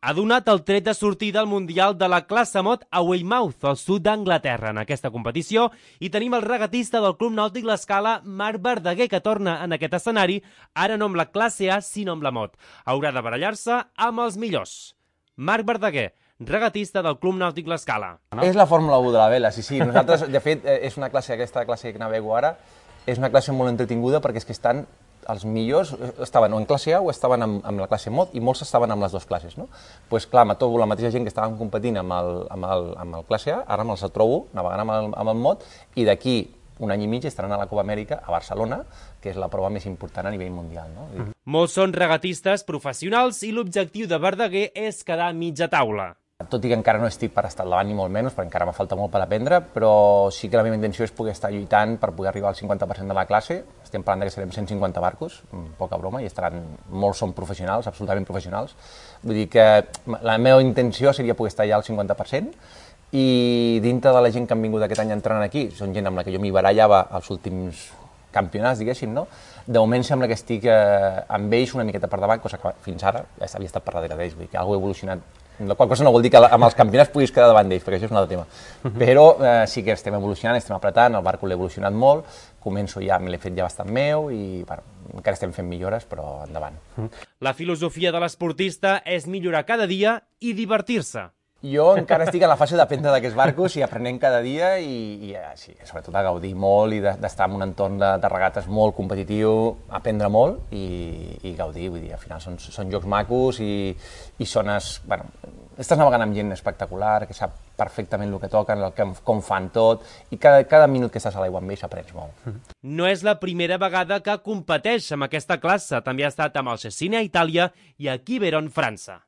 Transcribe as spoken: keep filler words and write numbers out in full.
ha donat el tret de sortida al Mundial de la classe mod a Weymouth, al sud d'Anglaterra, en aquesta competició, i tenim el regatista del Club Nàutic L'Escala, Marc Verdaguer, que torna en aquest escenari, ara no amb la classe A, sinó amb la mod. Haurà de barallar-se amb els millors. Marc Verdaguer, regatista del Club Nàutic L'Escala. No? És la Fórmula u de la vela, sí, sí. Nosaltres, de fet, és una classe, aquesta classe que navego ara, és una classe molt entretinguda perquè és que estan els millors, estaven o en classe A o estaven amb, amb la classe mod i molts estaven amb les dues classes, no? Doncs pues, clar, amb tot, la mateixa gent que estàvem competint amb el, amb el, amb el classe A, ara me'ls trobo navegant amb el, amb el mod i d'aquí un any i mig estaran a la Copa Amèrica a Barcelona, que és la prova més important a nivell mundial, no? Mm. Molts són regatistes professionals i l'objectiu de Verdaguer és quedar a mitja taula. Tot i que encara no estic per estar al davant ni molt menys, perquè encara me falta molt per aprendre, però sí que la meva intenció és poder estar lluitant per poder arribar al cinquanta per cent de la classe. Estem parlant que serem cent cinquanta barcos, poca broma, i estaran, molts són professionals, absolutament professionals. Vull dir que la meva intenció seria poder estar ja al cinquanta per cent i dintre de la gent que han vingut aquest any entrant aquí, són gent amb la que jo m'hi barallava als últims campionats, diguéssim, no? De moment sembla que estic eh, amb ells una miqueta per davant, cosa que fins ara ja havia estat per darrere d'ells, vull dir que alguna ha evolucionat. La qual cosa no vol dir que amb els campionats puguis quedar davant d'ells, perquè això és un altre tema. Però eh, sí que estem evolucionant, estem apretant, el barco l'he evolucionat molt, començo ja, me l'he fet ja bastant meu i bueno, encara estem fent millores, però endavant. La filosofia de l'esportista és millorar cada dia i divertir-se. Jo encara estic en la fase d'aprendre d'aquests barcos i aprenent cada dia i, i sí, sobretot a gaudir molt i d'estar en un entorn de, de regates molt competitiu, aprendre molt i, i gaudir, vull dir, al final són, són jocs macos i, i zones, bueno, estàs navegant amb gent espectacular, que sap perfectament el que toquen, el que, com fan tot, i cada, cada minut que estàs a l'aigua amb ells aprens molt. No és la primera vegada que competeix amb aquesta classe, també ha estat amb el Cecina a Itàlia i a Quiberon, França.